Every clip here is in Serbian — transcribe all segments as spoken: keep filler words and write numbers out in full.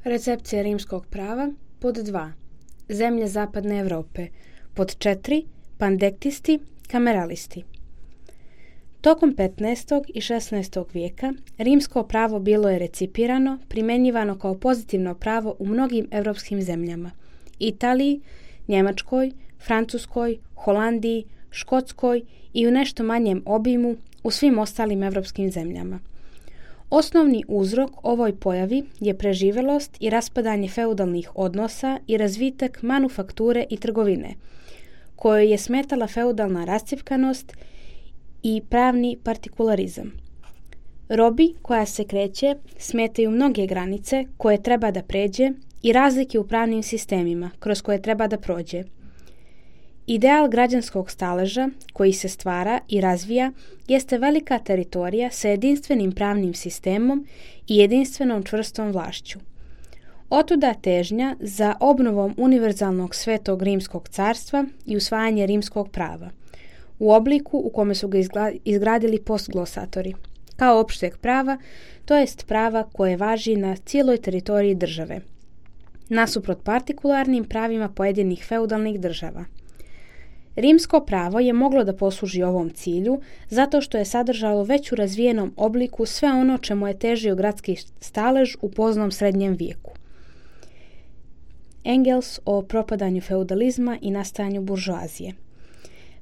Recepcija rimskog prava. Pod dva. Zemlje zapadne Europe. Pod četiri. Pandektisti, kameralisti. Tokom petnaestog i šesnaestog vijeka rimsko pravo bilo je recipirano, primjenjivano kao pozitivno pravo u mnogim europskim zemljama. Italiji, Njemačkoj, Francuskoj, Holandiji, Škotskoj i u nešto manjem obimu u svim ostalim europskim zemljama. Osnovni uzrok ovoj pojavi je preživelost i raspadanje feudalnih odnosa i razvitak manufakture i trgovine, kojoj je smetala feudalna rascjepkanost i pravni partikularizam. Robi koja se kreće smetaju mnoge granice koje treba da pređe i razlike u pravnim sistemima kroz koje treba da prođe. Ideal građanskog staleža koji se stvara i razvija jeste velika teritorija sa jedinstvenim pravnim sistemom i jedinstvenom čvrstom vlašću. Otuda težnja za obnovom univerzalnog svetog rimskog carstva i usvajanje rimskog prava, u obliku u kome su ga izgradili postglosatori, kao opšteg prava, to jest prava koje važi na cijeloj teritoriji države, nasuprot partikularnim pravima pojedinih feudalnih država. Rimsko pravo je moglo da posluži ovom cilju zato što je sadržalo već u razvijenom obliku sve ono čemu je težio gradski stalež u poznom srednjem vijeku. Engels o propadanju feudalizma i nastajanju buržoazije.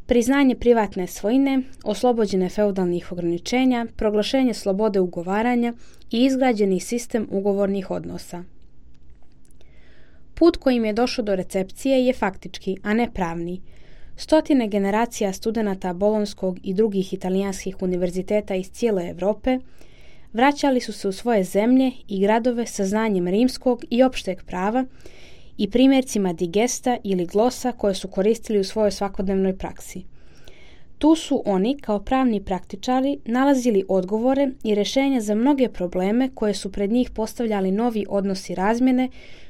Priznanje privatne svojine, oslobođene feudalnih ograničenja, proglašenje slobode ugovaranja i izgrađeni sistem ugovornih odnosa. Put kojim je došlo do recepcije je faktički, a ne pravni. Stotine generacija studenata Bolonskog i drugih italijanskih univerziteta iz cijele Europe vraćali su se u svoje zemlje i gradove sa znanjem rimskog i opšteg prava i primjercima digesta ili glosa koje su koristili u svojoj svakodnevnoj praksi. Tu su oni, kao pravni praktičari, nalazili odgovore i rješenja za mnoge probleme koje su pred njih postavljali novi odnosi razmjene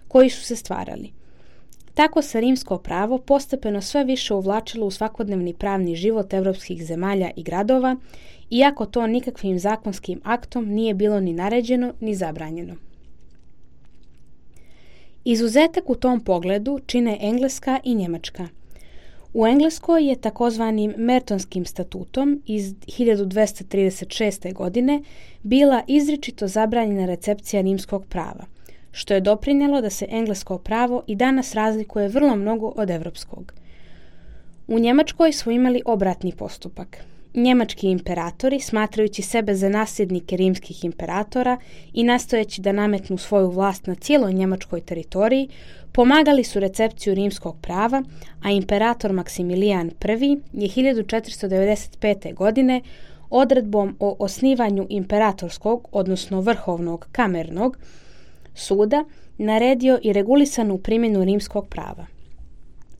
koji su se stvarali. Tako se rimsko pravo postepeno sve više uvlačilo u svakodnevni pravni život evropskih zemalja i gradova, iako to nikakvim zakonskim aktom nije bilo ni naređeno ni zabranjeno. Izuzetak u tom pogledu čine Engleska i Njemačka. U Engleskoj je takozvanim Mertonskim statutom iz hiljadu dvesta trideset šeste. godine bila izričito zabranjena recepcija rimskog prava, što je doprinijelo da se englesko pravo i danas razlikuje vrlo mnogo od evropskog. U Njemačkoj su imali obratni postupak. Njemački imperatori, smatrajući sebe za nasljednike rimskih imperatora i nastojeći da nametnu svoju vlast na cijeloj njemačkoj teritoriji, pomagali su recepciju rimskog prava, a imperator Maksimilijan I. je hiljadu četiristo devedeset pete. godine odredbom o osnivanju imperatorskog, odnosno vrhovnog kamernog suda, naredio i regulisanu primjenu rimskog prava.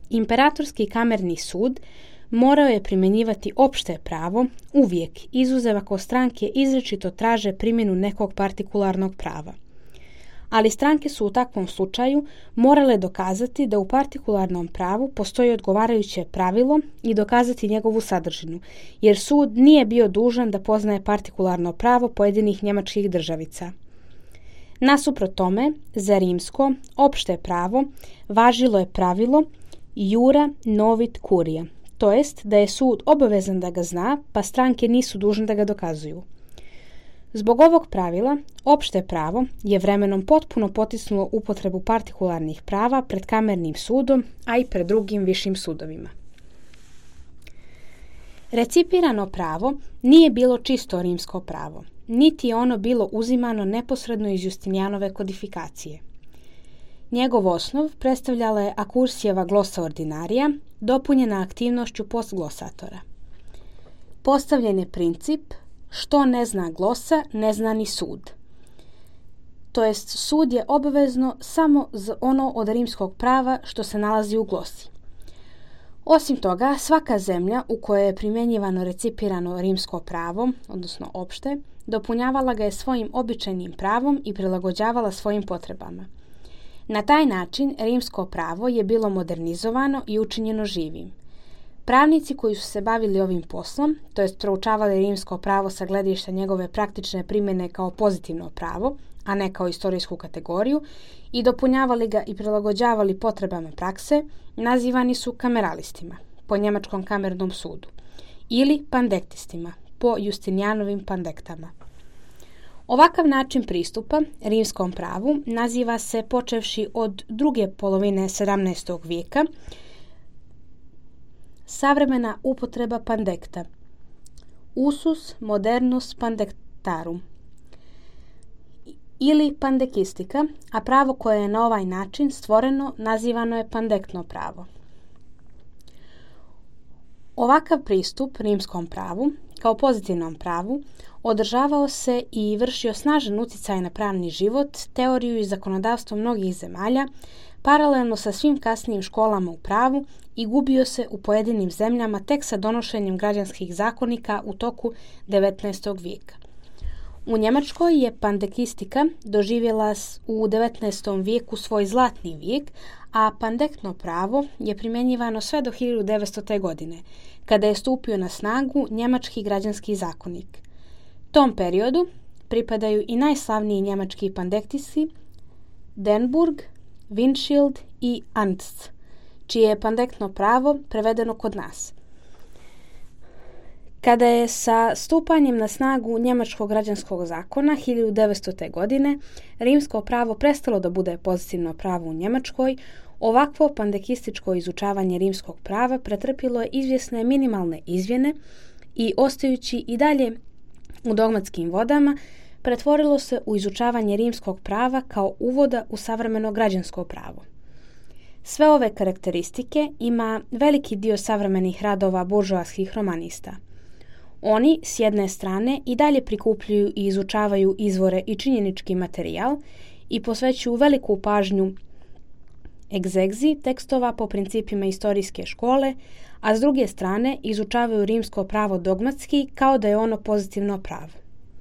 Imperatorski kamerni sud morao je primjenjivati opšte pravo uvijek, izuzev ako stranke izričito traže primjenu nekog partikularnog prava. Ali stranke su u takvom slučaju morale dokazati da u partikularnom pravu postoji odgovarajuće pravilo i dokazati njegovu sadržinu, jer sud nije bio dužan da poznaje partikularno pravo pojedinih njemačkih državica. Nasuprot tome, za rimsko opšte pravo važilo je pravilo iura novit curia, to jest da je sud obavezan da ga zna, pa stranke nisu dužne da ga dokazuju. Zbog ovog pravila, opšte pravo je vremenom potpuno potisnulo upotrebu partikularnih prava pred kamernim sudom, a i pred drugim višim sudovima. Recipirano pravo nije bilo čisto rimsko pravo, niti je ono bilo uzimano neposredno iz Justinijanove kodifikacije. Njegov osnov predstavljala je Akursijeva glosa ordinarija, dopunjena aktivnošću postglosatora. Postavljen je princip što ne zna glosa, ne zna ni sud. To jest, sud je obavezno samo za ono od rimskog prava što se nalazi u glosi. Osim toga, svaka zemlja u kojoj je primjenjivano recipirano rimsko pravo, odnosno opšte, dopunjavala ga je svojim običajnim pravom i prilagođavala svojim potrebama. Na taj način rimsko pravo je bilo modernizovano i učinjeno živim. Pravnici koji su se bavili ovim poslom, to jest proučavali rimsko pravo sa gledišta njegove praktične primjene kao pozitivno pravo, a ne kao istorijsku kategoriju, i dopunjavali ga i prilagođavali potrebama prakse, nazivani su kameralistima, po njemačkom kamernom sudu, ili pandektistima, po Justinijanovim pandektama. Ovakav način pristupa rimskom pravu naziva se, počevši od druge polovine sedamnaestog vijeka, savremena upotreba pandekta, usus modernus pandektarum, ili pandekistika, a pravo koje je na ovaj način stvoreno nazivano je pandektno pravo. Ovakav pristup rimskom pravu, kao pozitivnom pravu, održavao se i vršio snažan utjecaj na pravni život, teoriju i zakonodavstvo mnogih zemalja, paralelno sa svim kasnijim školama u pravu, i gubio se u pojedinim zemljama tek sa donošenjem građanskih zakonika u toku devetnaestog vijeka. U Njemačkoj je pandekistika doživjela u devetnaestom vijeku svoj zlatni vijek, a pandektno pravo je primjenjivano sve do hiljadu devetstote. godine, kada je stupio na snagu njemački građanski zakonik. Tom periodu pripadaju i najslavniji njemački pandektisti Denburg, Windschild i Ernst, čije je pandektno pravo prevedeno kod nas. Kada je sa stupanjem na snagu njemačkog građanskog zakona hiljadu devetstote. godine rimsko pravo prestalo da bude pozitivno pravo u Njemačkoj, ovakvo pandekističko izučavanje rimskog prava pretrpilo je izvjesne minimalne izmjene i, ostajući i dalje u dogmatskim vodama, pretvorilo se u izučavanje rimskog prava kao uvoda u savremeno građansko pravo. Sve ove karakteristike ima veliki dio savremenih radova buržoaskih romanista. Oni, s jedne strane, i dalje prikupljaju i izučavaju izvore i činjenički materijal i posvećuju veliku pažnju egzegzi tekstova po principima istorijske škole, a s druge strane izučavaju rimsko pravo dogmatski kao da je ono pozitivno pravo.